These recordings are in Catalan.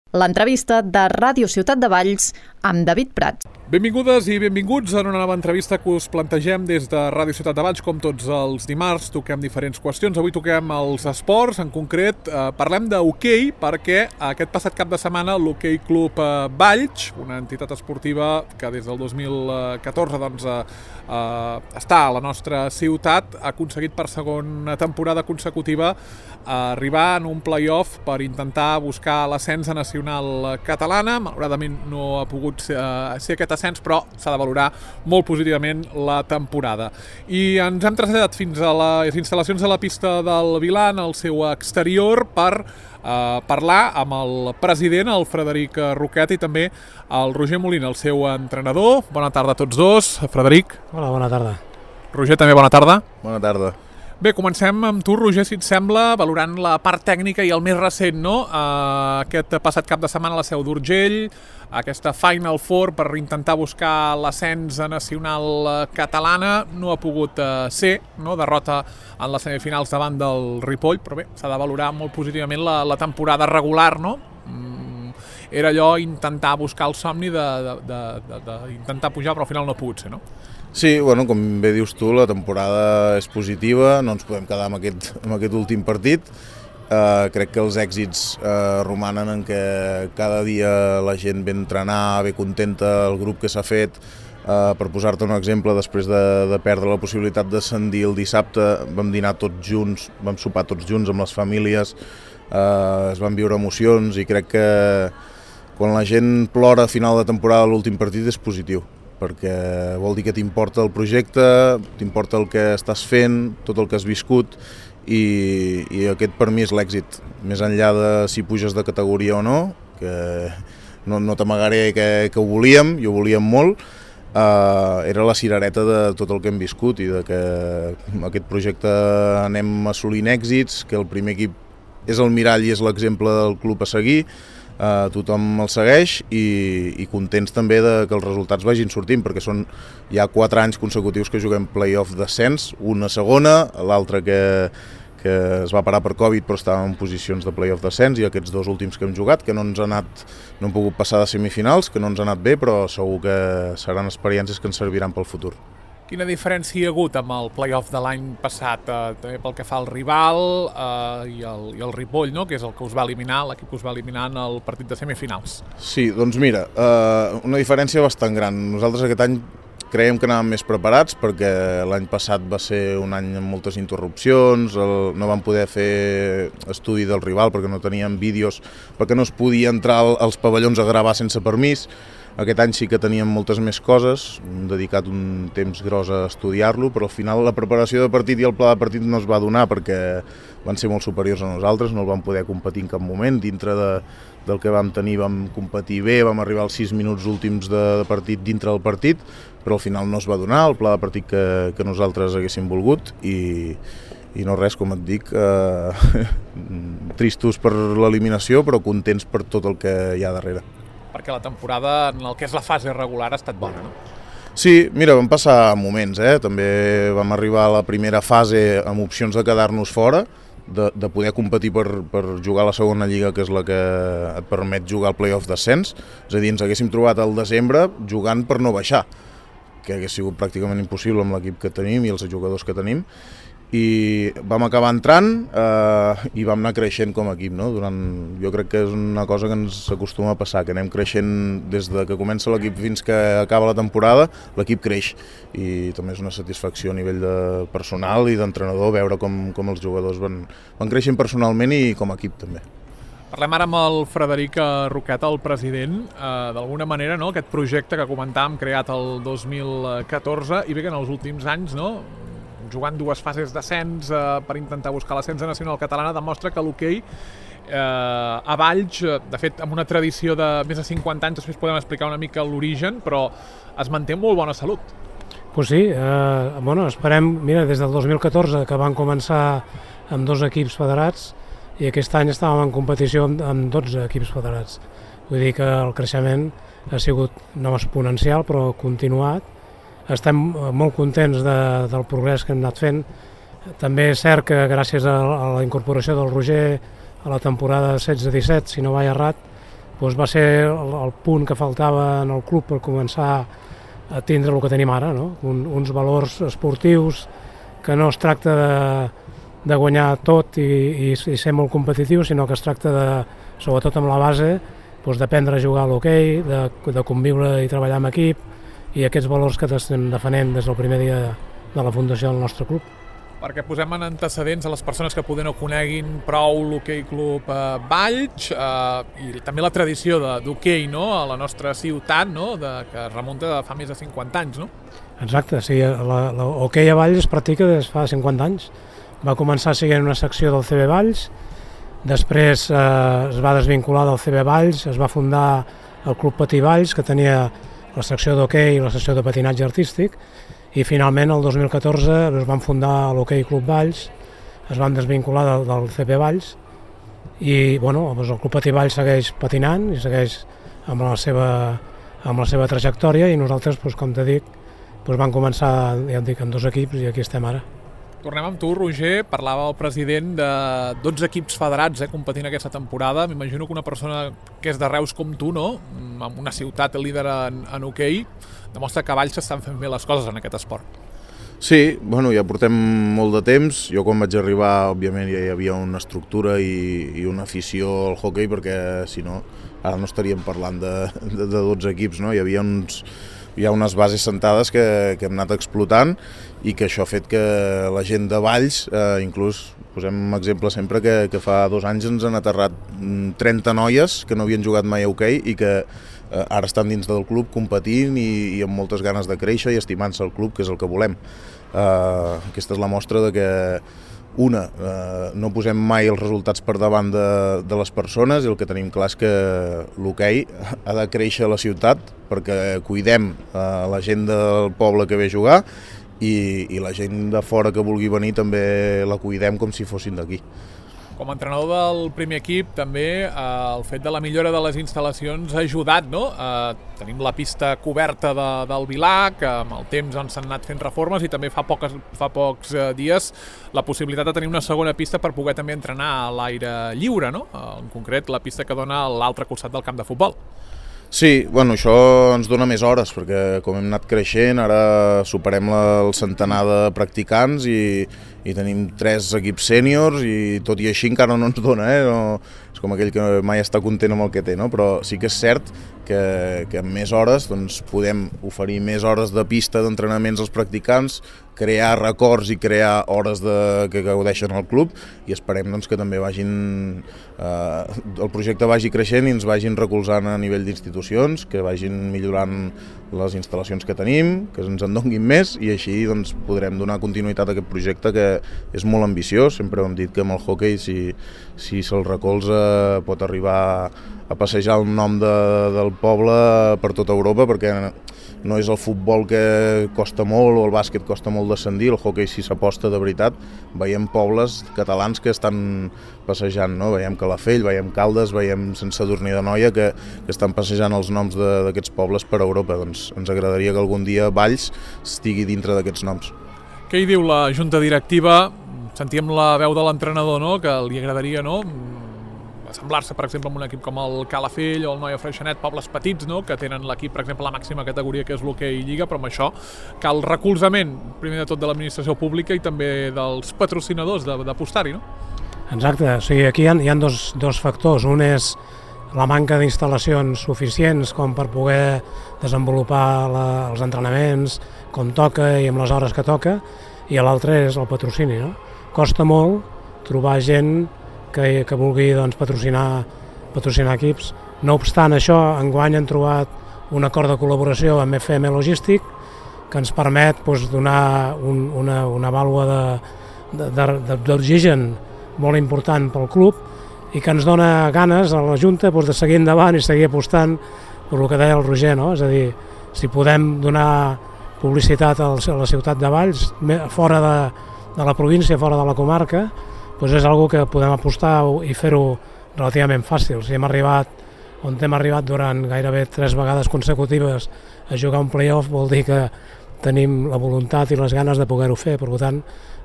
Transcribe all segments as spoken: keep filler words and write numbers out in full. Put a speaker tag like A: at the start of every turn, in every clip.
A: L'entrevista de Ràdio Ciutat de Valls amb David Prats.
B: Benvingudes i benvinguts en una nova entrevista que us plantegem des de Ràdio Ciutat de Valls. Com tots els dimarts toquem diferents qüestions. Avui toquem els esports, en concret eh, parlem d'hoquei, perquè aquest passat cap de setmana l'Hoquei Club eh, Valls, una entitat esportiva que des del dos mil catorze doncs, eh, eh, està a la nostra ciutat, ha aconseguit per segona temporada consecutiva eh, arribar en un play-off per intentar buscar l'ascens a nacional catalana. Malauradament no ha pogut ser, eh, ser aquest ascens, però s'ha de valorar molt positivament la temporada. I ens hem traslladat fins a les instal·lacions de la pista del Vilan, al seu exterior, per eh, parlar amb el president, el Frederic Roquet, i també el Roger Molina, el seu entrenador. Bona tarda a tots dos. Frederic.
C: Hola, bona tarda.
B: Roger, també bona tarda.
D: Bona tarda.
B: Bé, comencem amb tu, Roger, si et sembla, valorant la part tècnica i el més recent, no? Uh, aquest passat cap de setmana a la Seu d'Urgell, aquesta Final Four per intentar buscar l'ascens a nacional catalana, no ha pogut uh, ser, no? Derrota en les semifinals davant del Ripoll, però bé, s'ha de valorar molt positivament la, la temporada regular, no? Mm, era allò intentar buscar el somni d'intentar pujar, però al final no ha pogut ser, no?
D: Sí, bueno, com bé dius tu, la temporada és positiva, no ens podem quedar amb aquest, amb aquest últim partit. Uh, crec que els èxits uh, romanen en que cada dia la gent ve a entrenar, ve contenta, el grup que s'ha fet. Uh, per posar-te un exemple, després de, de perdre la possibilitat d'ascendir el dissabte, vam dinar tots junts, vam sopar tots junts amb les famílies, uh, es van viure emocions i crec que quan la gent plora a final de temporada l'últim partit és positiu, perquè vol dir que t'importa el projecte, t'importa el que estàs fent, tot el que has viscut, i, i aquest per mi és l'èxit. Més enllà de si puges de categoria o no, que no, no t'amagaré que, que ho volíem, i ho volíem molt, uh, era la cirereta de tot el que hem viscut i de que aquest projecte anem assolint èxits, que el primer equip és el mirall i és l'exemple del club a seguir. Uh, tothom el segueix i, i contents també de que els resultats vagin sortint, perquè són ja quatre anys consecutius que juguem play-off d'ascens, una segona, l'altra que, que es va parar per Covid però estàvem en posicions de play-off d'ascens, i aquests dos últims que hem jugat, que no ens ha anat, no hem pogut passar de semifinals, que no ens ha anat bé, però segur que seran experiències que ens serviran pel futur.
B: Quina diferència hi ha hagut amb el play-off de l'any passat, eh, també pel que fa al rival eh, i, el, i el Ripoll, no? Que és el que us va eliminar, l'equip que us va eliminar en el partit de semifinals?
D: Sí, doncs mira, eh, una diferència bastant gran. Nosaltres aquest any creiem que anàvem més preparats, perquè l'any passat va ser un any amb moltes interrupcions, el, no vam poder fer estudi del rival perquè no teníem vídeos, perquè no es podia entrar als pavellons a gravar sense permís. Aquest any sí que teníem moltes més coses, hem dedicat un temps gros a estudiar-lo, però al final la preparació de partit i el pla de partit no es va donar perquè van ser molt superiors a nosaltres, no el vam poder competir en cap moment. Dintre de, del que vam tenir vam competir bé, vam arribar als sis minuts últims de, de partit dintre del partit, però al final no es va donar el pla de partit que, que nosaltres haguéssim volgut, i, i no res, com et dic, eh, tristos per l'eliminació, però contents per tot el que hi ha darrere.
B: Perquè la temporada, en el que és la fase regular, ha estat bona, no?
D: Sí, mira, vam passar moments, eh? També vam arribar a la primera fase amb opcions de quedar-nos fora, de, de poder competir per, per jugar a la segona lliga, que és la que et permet jugar al play-off d'ascens. És a dir, ens haguéssim trobat al desembre jugant per no baixar, que hagués sigut pràcticament impossible amb l'equip que tenim i els jugadors que tenim. I vam acabar entrant eh, i vam anar creixent com a equip, no? Durant, jo crec que és una cosa que ens acostuma a passar, que anem creixent des de que comença l'equip fins que acaba la temporada, l'equip creix, i també és una satisfacció a nivell de personal i d'entrenador veure com, com els jugadors van, van creixent personalment i com a equip també.
B: Parlem ara amb el Frederic Roquet, el president. Eh, d'alguna manera, no? Aquest projecte que comentàvem, creat el dos mil catorze, i bé que en els últims anys, no? Jugant dues fases d'ascens eh, per intentar buscar l'ascens nacional catalana, demostra que l'hoquei eh, a Valls, de fet amb una tradició de més de cinquanta anys, després podem explicar una mica l'origen, però es manté en molt bona salut.
C: Pues sí, eh, bueno, esperem, mira, des del dos mil catorze que van començar amb dos equips federats, i aquest any estàvem en competició amb, amb dotze equips federats. Vull dir que el creixement ha sigut no exponencial, però continuat. Estem molt contents de, del progrés que hem anat fent. També és cert que gràcies a, a la incorporació del Roger a la temporada setze disset, si no vaig errat, doncs va ser el, el punt que faltava en el club per començar a tindre el que tenim ara, no? Un, uns valors esportius que no es tracta de, de guanyar tot i, i, i ser molt competitiu, sinó que es tracta de, sobretot amb la base, doncs d'aprendre a jugar a l'hoquei, de, de conviure i treballar en equip, i aquests valors que estem defendent des del primer dia de la fundació del nostre club.
B: Perquè posem en antecedents a les persones que poder no coneguin prou l'Hoquei Club eh, Valls eh, i també la tradició d'hoquei, no?, a la nostra ciutat, no?, de, que es remunta de fa més de cinquanta anys, no?
C: Exacte, sí, l'hoquei a Valls es practica des fa cinquanta anys. Va començar sent una secció del C B Valls, després eh, es va desvincular del C B Valls, es va fundar el Club Patí Valls, que tenia la secció d'hoquei i la secció de patinatge artístic, i finalment el dos mil catorze es van fundar l'Hoquei Club Valls, es van desvincular del, del C P Valls i bueno, doncs el Club Patí Valls segueix patinant i segueix amb la seva, amb la seva trajectòria i nosaltres, doncs, com t'he dit, doncs van començar, ja et dic, amb dos equips i aquí estem ara.
B: Tornem amb tu, Roger. Parlava el president de dotze equips federats eh, competint aquesta temporada. M'imagino que una persona que és de Reus com tu, no?, en una ciutat líder en, en hoquei, demostra que a Valls s'estan fent bé les coses en aquest esport.
D: Sí, bueno, ja portem molt de temps. Jo quan vaig arribar, òbviament, ja hi havia una estructura i, i una afició al hoquei, perquè si no, ara no estaríem parlant de, de, de dotze equips, no? Hi havia uns... Hi ha unes bases sentades que, que hem anat explotant i que això ha fet que la gent de Valls, eh, inclús posem un exemple sempre que, que fa dos anys ens han aterrat trenta noies que no havien jugat mai a hoquei i que eh, ara estan dins del club competint i, i amb moltes ganes de créixer i estimant-se el club, que és el que volem. Eh, aquesta és la mostra de que Una, eh, no posem mai els resultats per davant de, de les persones i el que tenim clar és que l'hoquei ha de créixer a la ciutat perquè cuidem eh, la gent del poble que ve a jugar i, i la gent de fora que vulgui venir també la cuidem com si fossin d'aquí.
B: Com a entrenador del primer equip, també eh, el fet de la millora de les instal·lacions ha ajudat, no? Eh, tenim la pista coberta de, del Vilar, que amb el temps s'han anat fent reformes, i també fa, poques, fa pocs eh, dies la possibilitat de tenir una segona pista per poder també entrenar a l'aire lliure, no? Eh, en concret, la pista que dona a l'altre costat del camp de futbol.
D: Sí, bueno, això ens dona més hores, perquè com hem anat creixent, ara superem la, el centenar de practicants i, i tenim tres equips sèniors i tot i així encara no ens dona, eh? No, és com aquell que mai està content amb el que té, no? Però sí que és cert que, que amb més hores doncs, podem oferir més hores de pista d'entrenaments als practicants, crear records i crear hores de, que gaudeixen al club i esperem doncs, que també vagin, eh, el projecte vagi creixent i ens vagin recolzant a nivell d'institucions, que vagin millorant les instal·lacions que tenim, que ens en donguin més i així doncs, podrem donar continuïtat a aquest projecte que és molt ambiciós. Sempre hem dit que amb el hoquei, si, si se'l recolza, pot arribar a passejar el nom de, del poble per tota Europa, perquè no és el futbol que costa molt o el bàsquet costa molt descendir, el hoquei si s'aposta de veritat. Veiem pobles catalans que estan passejant, no? Veiem Calafell, veiem Caldes, veiem Sant Sadurní d'Anoia que, que estan passejant els noms d'aquests pobles per Europa. Doncs ens agradaria que algun dia Valls estigui dintre d'aquests noms.
B: Què hi diu la junta directiva? Sentíem la veu de l'entrenador, no?, que li agradaria, no?, assemblar-se, per exemple, amb un equip com el Calafell o el Noia Freixenet, pobles petits, no?, que tenen l'equip, per exemple, la màxima categoria que és l'hoquei Lliga, però amb això cal recolzament, primer de tot, de l'administració pública i també dels patrocinadors d'apostar-hi, no?
C: Exacte, o sigui, aquí hi ha, hi ha dos, dos factors. Un és la manca d'instal·lacions suficients com per poder desenvolupar la, els entrenaments com toca i amb les hores que toca, i l'altre és el patrocini, no? Costa molt trobar gent que, que vulgui doncs, patrocinar, patrocinar equips. No obstant això, enguany hem trobat un acord de col·laboració amb F M Logístic que ens permet doncs, donar un, una, una vàlua d'oxigen molt important pel club i que ens dona ganes a la Junta doncs, de seguir endavant i seguir apostant per el que deia el Roger, no? És a dir, si podem donar publicitat a la ciutat de Valls, fora de, de la província, fora de la comarca, doncs és una que podem apostar i fer-ho relativament fàcil. Si hem arribat on hem arribat durant gairebé tres vegades consecutives a jugar un play-off, vol dir que tenim la voluntat i les ganes de poder-ho fer. Per tant,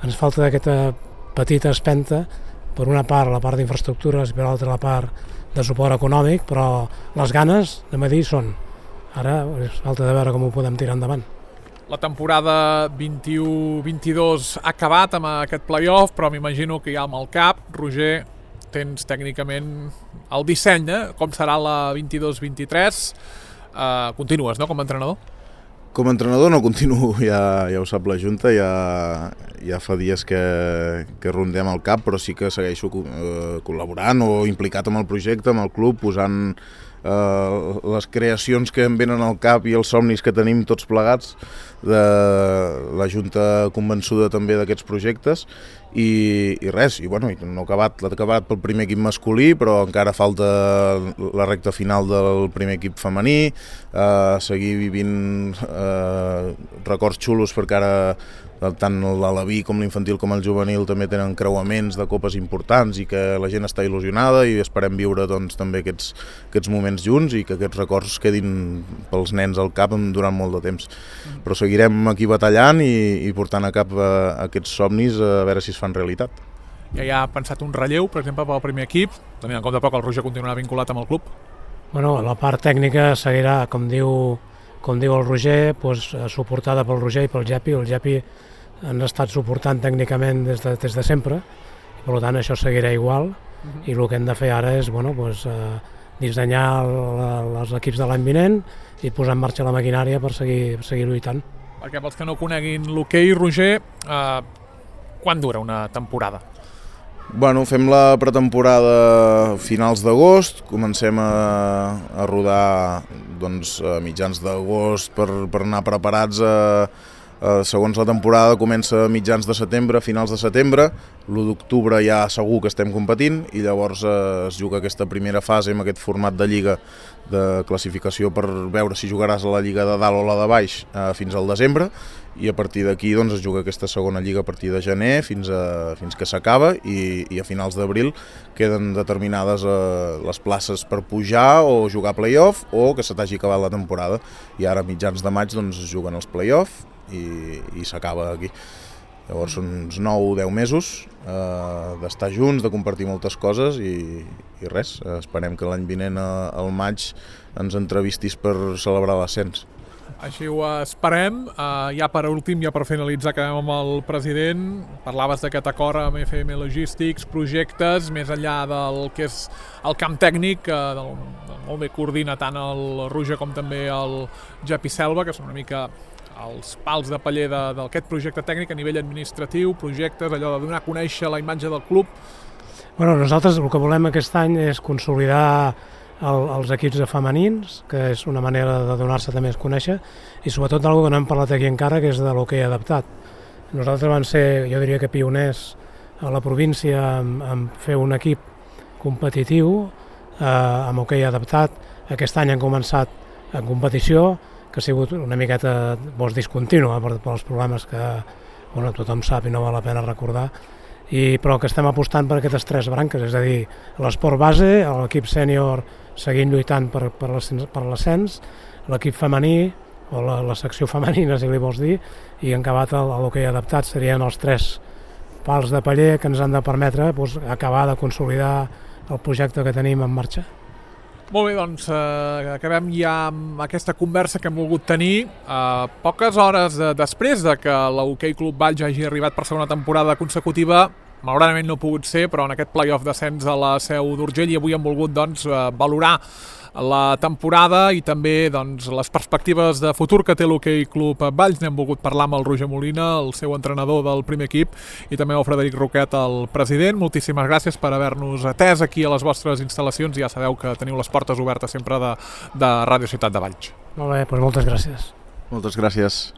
C: ens falta aquesta petita espenta, per una part la part d'infraestructures i per l'altra la part de suport econòmic, però les ganes de medir són. Ara és falta de veure com ho podem tirar endavant.
B: La temporada vint-i-u vint-i-dos ha acabat amb aquest play-off, però m'imagino que ja amb el cap, Roger, tens tècnicament el disseny, eh? Com serà la vint-i-dos vint-i-tres. Uh, continues, no?, com a entrenador?
D: Com a entrenador no continuo, ja, ja ho sap la Junta, ja, ja fa dies que, que rondem el cap, però sí que segueixo eh, col·laborant o implicat amb el projecte, amb el club, posant eh, les creacions que em venen al cap i els somnis que tenim tots plegats, de la Junta convençuda també d'aquests projectes, i, i res, i bueno, no ha acabat, l'ha acabat pel primer equip masculí, però encara falta la recta final del primer equip femení, eh, seguir vivint eh, records xulos, perquè ara tant l'Alaví com l'infantil com el juvenil també tenen creuaments de copes importants i que la gent està il·lusionada i esperem viure doncs, també aquests, aquests moments junts i que aquests records quedin pels nens al cap durant molt de temps. Però seguirem aquí batallant i, i portant a cap a, a aquests somnis a veure si es fan realitat.
B: Ja hi ha pensat un relleu, per exemple, pel primer equip, tenint en compte poc el Roger continuarà vinculat amb el club?
C: Bueno, la part tècnica seguirà, com diu, com diu el Roger, doncs, suportada pel Roger i pel Gepi. El Gepi han estat suportant tècnicament des de, des de sempre, i per tant això seguirà igual, uh-huh. I el que hem de fer ara és bueno, doncs, eh, dissenyar la, els equips de l'any vinent i posar en marxa la maquinària per seguir, per seguir lluitant.
B: Perquè pels que no coneguin l'hoquei, Roger, eh, quan dura una temporada?
D: Bueno, fem la pretemporada a finals d'agost, comencem a, a rodar doncs, a mitjans d'agost per, per anar preparats a Uh, segons la temporada comença a mitjans de setembre, a finals de setembre, l'u d'octubre ja segur que estem competint i llavors uh, es juga aquesta primera fase amb aquest format de lliga de classificació per veure si jugaràs a la lliga de dalt o la de baix uh, fins al desembre i a partir d'aquí doncs, es juga aquesta segona lliga a partir de gener fins, a, fins que s'acaba i, i a finals d'abril queden determinades uh, les places per pujar o jugar play-off o que se t'hagi acabat la temporada i ara a mitjans de maig doncs, es juguen els play-off i, i s'acaba aquí. Llavors són uns nou o deu mesos eh, d'estar junts, de compartir moltes coses i, i res, esperem que l'any vinent al maig ens entrevistis per celebrar l'ascens.
B: Així ho esperem. Uh, ja per últim, ja per finalitzar, acabem amb el president. Parlaves d'aquest acord amb F M Logistics, projectes, més enllà del que és el camp tècnic, que del, molt bé coordina tant el Roger com també el Gepi Selva, que són una mica els pals de paller d'aquest projecte tècnic a nivell administratiu, projectes, allò de donar a conèixer la imatge del club.
C: Bueno, nosaltres el que volem aquest any és consolidar el, els equips de femenins, que és una manera de donar-se també a conèixer, i sobretot d'alguna que no hem parlat aquí encara, que és de l'hoquei adaptat. Nosaltres vam ser, jo diria que pioners a la província en, en fer un equip competitiu eh, amb hoquei adaptat. Aquest any han començat en competició, que ha sigut una miqueta doncs, discontínua per, per els problemes que bueno, tothom sap i no val la pena recordar, i, però que estem apostant per aquestes tres branques, és a dir, l'esport base, l'equip sènior seguint lluitant per, per l'ascens, l'equip femení o la, la secció femenina, si li vols dir, i en acabat l'hoquei adaptat serien els tres pals de paller que ens han de permetre doncs, acabar de consolidar el projecte que tenim en marxa.
B: Molt bé, doncs eh, acabem ja amb aquesta conversa que hem volgut tenir. Eh, poques hores de, després de que l'Hoquei Club Valls hagi arribat per segona temporada consecutiva, malauradament no ha pogut ser, però en aquest play-off d'ascens a la Seu d'Urgell i avui hem volgut doncs, eh, valorar la temporada i també doncs, les perspectives de futur que té l'Hoquei Club Valls. N'hem volgut parlar amb el Roger Molina, el seu entrenador del primer equip, i també el Frederic Roquet, el president. Moltíssimes gràcies per haver-nos atès aquí a les vostres instal·lacions. Ja sabeu que teniu les portes obertes sempre de, de Ràdio Ciutat de Valls.
C: Molt bé, doncs moltes gràcies.
D: Moltes gràcies.